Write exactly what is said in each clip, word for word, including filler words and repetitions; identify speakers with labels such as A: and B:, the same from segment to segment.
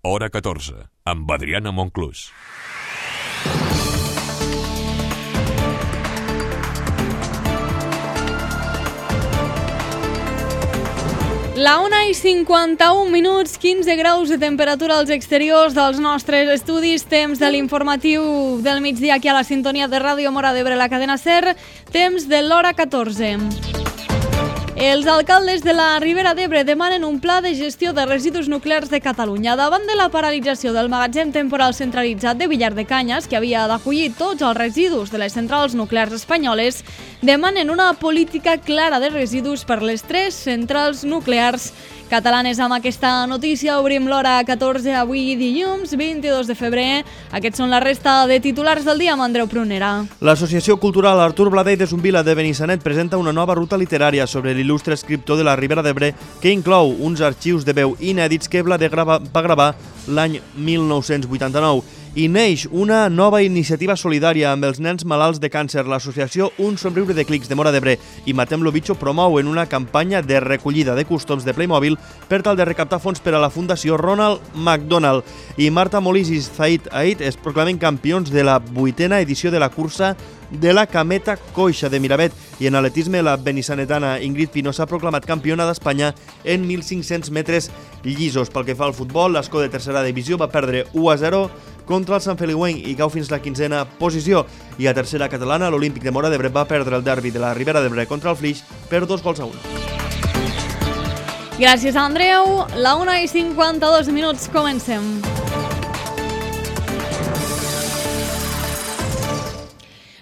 A: Hora catorze, amb Adriana Monclús.
B: La una i cinquanta-un minuts, quinze graus de temperatura als exteriors dels nostres estudis, temps de l'informatiu del migdia aquí a la sintonia de Ràdio Móra d'Ebre, la cadena SER, temps de l'hora catorze. Els alcaldes de la Ribera d'Ebre demanen un pla de gestió de residus nuclears de Catalunya. Davant de la paralització del magatzem temporal centralitzat de Villar de Canyes, que havia d'acollir tots els residus de les centrals nuclears espanyoles, demanen una política clara de residus per les tres centrals nuclears catalanes. Amb aquesta notícia obrim l'hora catorze avui dilluns vint-i-dos de febrer. Aquests són la resta de titulars del dia amb Andreu Prunera.
C: L'Associació Cultural Artur Bladell de Zumbila de Benissanet presenta una nova ruta literària sobre l'il·lustre escriptor de la Ribera d'Ebre que inclou uns arxius de veu inèdits que Bladell grava, va gravar l'any mil nou-cents vuitanta-nou. I neix una nova iniciativa solidària amb els nens malalts de càncer. L'associació Un Somriure de Clics de Móra d'Ebre i Matem lo Bitxo promouen una campanya de recollida de cústoms de Playmobil per tal de recaptar fons per a la Fundació Ronald McDonald. I Marta Molís i Zaid Aid es proclamen campions de la vuitena edició de la cursa de la Cameta Coixa de Miravet. I en atletisme, la benissanetana Ingrid Pino s'ha proclamat campiona d'Espanya en mil cinc-cents metres llisos. Pel que fa al futbol, l'Escó de tercera divisió va perdre u a zero contra el Sant Feliuenc i cau fins la quinzena posició. I a tercera catalana, l'Olímpic de Móra d'Ebre va perdre el derbi de la Ribera d'Ebre contra el Flix per dos gols a un.
B: Gràcies, Andreu. La una i cinquanta-dos minuts, comencem.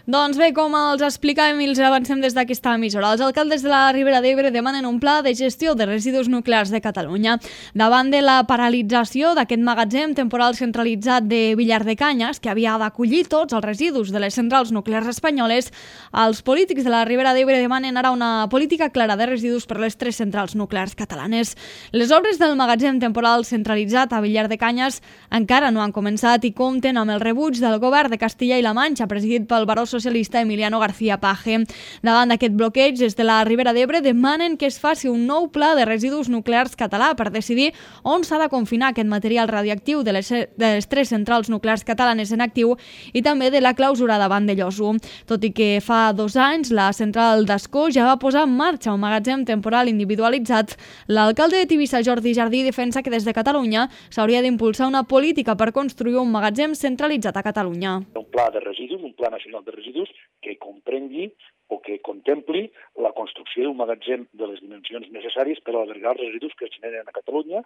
B: Doncs bé, com els explicàvem i els avancem des d'aquesta emissora, els alcaldes de la Ribera d'Ebre demanen un pla de gestió de residus nuclears de Catalunya. Davant de la paralització d'aquest magatzem temporal centralitzat de Villar de Canyes, que havia d'acollir tots els residus de les centrals nuclears espanyoles, els polítics de la Ribera d'Ebre demanen ara una política clara de residus per les tres centrals nuclears catalanes. Les obres del magatzem temporal centralitzat a Villar de Canyes encara no han començat i compten amb el rebuig del govern de Castilla i la Manxa, presidit pel baró socialista Emiliano García Paje. Davant d'aquest bloqueig, des de la Ribera d'Ebre demanen que es faci un nou pla de residus nuclears català per decidir on s'ha de confinar aquest material radioactiu de les, de les tres centrals nuclears catalanes en actiu i també de la clausura de Vandellòs. Tot i que fa dos anys la central d'Ascó ja va posar en marxa un magatzem temporal individualitzat, l'alcalde de Tivissa, Jordi Jardí, defensa que des de Catalunya s'hauria d'impulsar una política per construir un magatzem centralitzat a Catalunya.
D: Un pla de residus, un pla nacional de residus que comprengui o que contempli la construcció d'un magatzem de les dimensions necessàries per albergar els residus que es generen a Catalunya,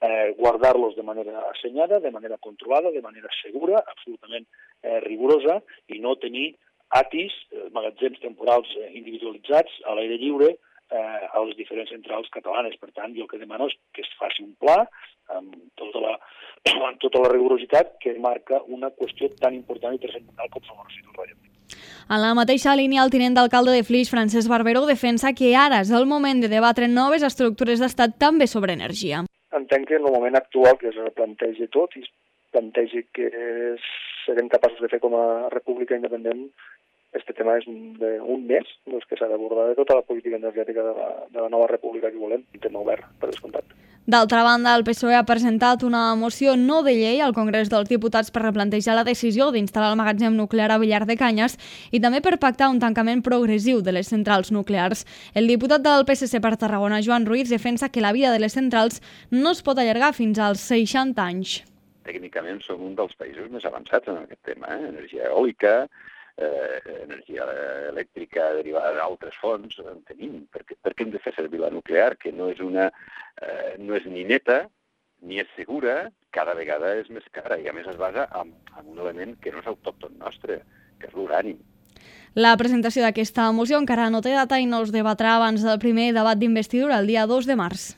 D: eh, guardar-los de manera assenyada, de manera controlada, de manera segura, absolutament eh, rigorosa, i no tenir atis, eh, magatzems temporals eh, individualitzats a l'aire lliure eh, a les diferents centrals catalanes. Per tant, jo el que demano és que es faci un pla amb tota la, amb tota la rigorositat que marca una qüestió tan important i transcendental com són els residus radioactius.
B: En la mateixa línia, el tinent d'alcalde de Flix, Francesc Barberó, defensa que ara és el moment de debatre noves estructures d'estat també sobre energia.
E: Entenc que en el moment actual que es replantegi tot i es plantegi que serem capaços de fer com a república independent, este tema és d'un mes doncs, que s'ha d'abordar de tota la política energètica de la, de la nova república que volem, un tema obert, per descomptat.
B: D'altra banda, el P S O E ha presentat una moció no de llei al Congrés dels Diputats per replantejar la decisió d'instal·lar el magatzem nuclear a Villar de Canyes i també per pactar un tancament progressiu de les centrals nuclears. El diputat del P S C per Tarragona, Joan Ruiz, defensa que la vida de les centrals no es pot allargar fins als seixanta anys.
F: Tècnicament som un dels països més avançats en aquest tema, eh? Energia eòlica, eh, energia elèctrica derivada d'altres fonts, en tenim. Per què, per què hem de fer servir la nuclear, que no és, una, eh, no és ni neta, ni és segura, cada vegada és més cara i a més es basa en, en un element que no és autòcton nostre, que és l'urani.
B: La presentació d'aquesta moció encara no té data i no es debatrà abans del primer debat d'investidura el dia dos de març.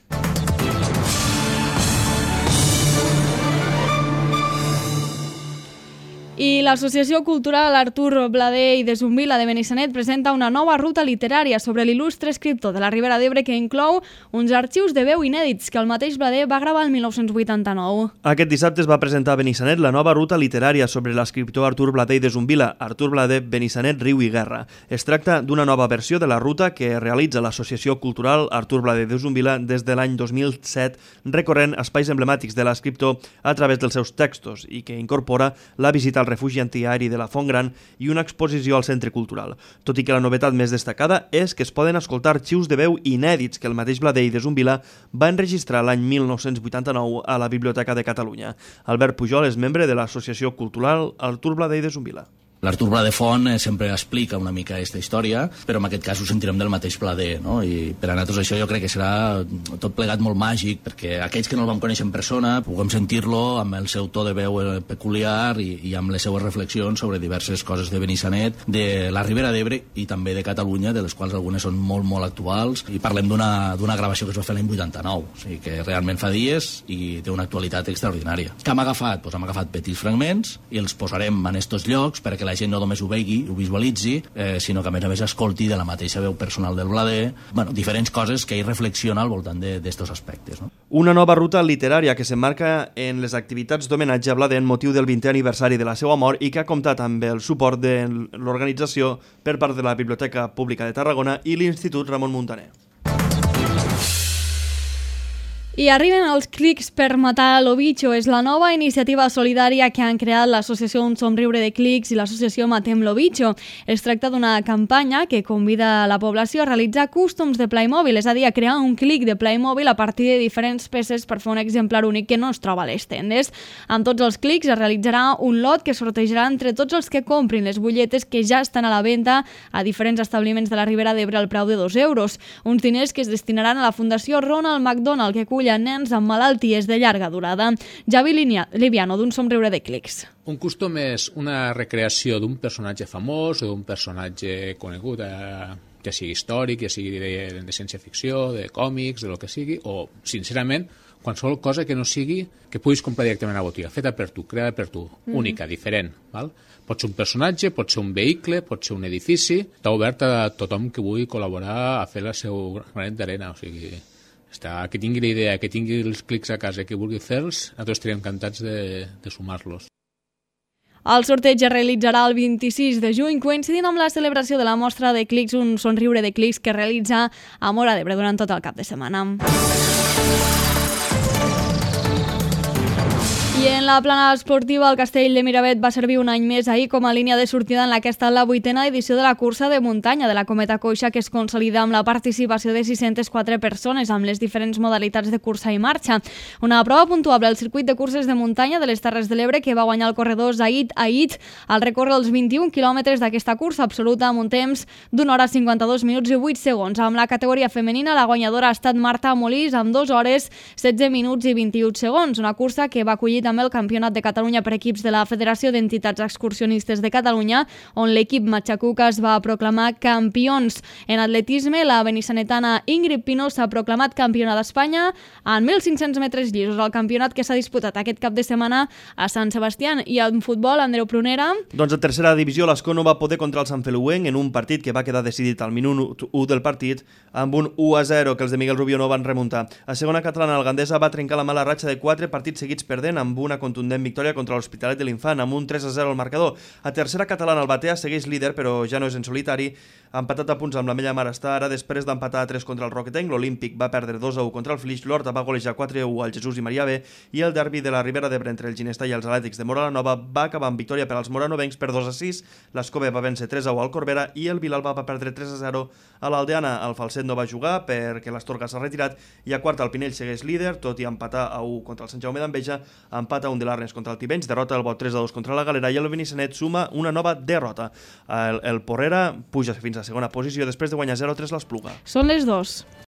B: I l'Associació Cultural Artur Bladé i de Zumbila de Benissanet presenta una nova ruta literària sobre l'il·lustre escriptor de la Ribera d'Ebre que inclou uns arxius de veu inèdits que el mateix Bladé va gravar el mil nou-cents vuitanta-nou.
C: Aquest dissabte es va presentar a Benissanet la nova ruta literària sobre l'escriptor Artur Bladé i de Zumbila, Artur Bladé, Benissanet, Riu i Guerra. Es tracta d'una nova versió de la ruta que realitza l'Associació Cultural Artur Bladé de Zumbila des de l'any dos mil set, recorrent espais emblemàtics de l'escriptor a través dels seus textos i que incorpora la visita al refugi antiaeri de la Font Gran i una exposició al Centre Cultural. Tot i que la novetat més destacada és que es poden escoltar arxius de veu inèdits que el mateix Bladé i de Zumbila va enregistrar l'any mil nou-cents vuitanta-nou a la Biblioteca de Catalunya. Albert Pujol és membre de l'Associació Cultural Artur Bladé i de Zumbila.
G: L'Artur Bladé Font sempre explica una mica aquesta història, però en aquest cas ho sentirem del mateix Bladé, no? I per a nosaltres això jo crec que serà tot plegat molt màgic, perquè aquells que no el vam conèixer en persona puguem sentir-lo amb el seu to de veu peculiar i, i amb les seues reflexions sobre diverses coses de Benissanet, de la Ribera d'Ebre i també de Catalunya, de les quals algunes són molt, molt actuals, i parlem d'una d'una gravació que es va fer l'any vuitanta-nou, o sigui que realment fa dies i té una actualitat extraordinària. Què hem agafat? Pues hem agafat petits fragments i els posarem en estos llocs perquè la gent no només ho vegi, ho visualitzi, eh, sinó que a més a més escolti de la mateixa veu personal del Bladé, bueno, diferents coses que ell reflexiona al voltant d'estos aspectes. No?
C: Una nova ruta literària que s'emmarca en les activitats d'homenatge a Bladé en motiu del vintè aniversari de la seva mort i que ha comptat amb el suport de l'organització per part de la Biblioteca Pública de Tarragona i l'Institut Ramon Muntaner.
B: I arriben els clics per matar l'Obicho. És la nova iniciativa solidària que han creat l'associació Un Somriure de Clics i l'associació Matem l'Obicho. Es tracta d'una campanya que convida la població a realitzar cústoms de Playmobil, és a dir, a crear un clic de Playmobil a partir de diferents peces per fer un exemplar únic que no es troba a les tendes. Amb tots els clics es realitzarà un lot que sortejarà entre tots els que comprin les butlletes que ja estan a la venda a diferents establiments de la Ribera d'Ebre al preu de dos euros. Uns diners que es destinaran a la Fundació Ronald McDonald, que acull a nens amb malalties de llarga durada. Javi Liviano, d'Un Somriure de Clics.
H: Un custom és una recreació d'un personatge famós o d'un personatge conegut, eh, ja sigui històric, ja sigui de, de ciència-ficció, de còmics, de lo que sigui, o, sincerament, qualsevol cosa que no sigui que puguis comprar directament a la botiga, feta per tu, creada per tu, mm. única, diferent. Val? Pot ser un personatge, pot ser un vehicle, pot ser un edifici. Està obert a tothom que vulgui col·laborar a fer el seu granet d'arena, o sigui... Està, que tingui la idea, que tingui els clics a casa, que vulgui fer-los, nosaltres estaríem encantats de, de sumar-los.
B: El sorteig es realitzarà el vint-i-sis de juny, coincidint amb la celebració de la mostra de clics, Un Somriure de Clics, que realitza a Móra d'Ebre durant tot el cap de setmana. I en la plana esportiva, el Castell de Miravet va servir un any més ahir com a línia de sortida en la que ha estat la vuitena edició de la cursa de muntanya de la Cometa Coixa, que es consolida amb la participació de sis-centes quatre persones amb les diferents modalitats de cursa i marxa. Una prova puntuable al circuit de curses de muntanya de les Terres de l'Ebre, que va guanyar el corredor Zaid Aït al recórrer els vint-i-un quilòmetres d'aquesta cursa absoluta amb un temps d'una hora cinquanta-dos minuts i vuit segons. Amb la categoria femenina, la guanyadora ha estat Marta Molís amb dues hores setze minuts i vint-i-un segons, una cursa que va acollir també el Campionat de Catalunya per equips de la Federació d'Entitats Excursionistes de Catalunya, on l'equip Matxacuca es va proclamar campions. En atletisme, la benissanetana Ingrid Pino s'ha proclamat campiona d'Espanya en mil cinc-cents metres llisos, el campionat que s'ha disputat aquest cap de setmana a Sant Sebastià. I en futbol, Andreu Prunera...
C: Doncs a tercera divisió, l'Escó no va poder contra el Sant Feliuenc en un partit que va quedar decidit al minut u del partit amb un u a zero que els de Miguel Rubio no van remuntar. A segona catalana, el Gandesa va trencar la mala ratxa de quatre partits seguits perdent amb una contundent victòria contra l'Hospitalet de l'Infant amb un tres a zero al marcador. A tercera catalana, el Batea segueix líder, però ja no és en solitari. Ha empatat a punts amb la Mella Mar està ara després d'empatar a tres contra el Roquetenc. L'Olímpic va perdre dos a u contra el Flix, l'Horta va golejar quatre a u al Jesús i Maria B i el derbi de la Ribera d'Ebre entre el Ginestà i els Atlètics de Móra la Nova va acabar amb victòria per als moranovencs per dos a sis. L'Escove va vèncer tres a u al Corbera i el Vilalba va perdre tres a zero a l'Aldeana. El Falset no va jugar perquè l'Astorga s'ha retirat i a quarta el Pinell segueix líder, tot i empatar a u contra el Sant Jaume d'Enveja, empat a un de l'Arnes contra el Tivenys, derrota el Bot tres a dos contra la Galera i el Benissanet suma una nova derrota. El, el Porrera puja fins a segona posició després de guanyar zero a tres l'Espluga.
B: Són les dos.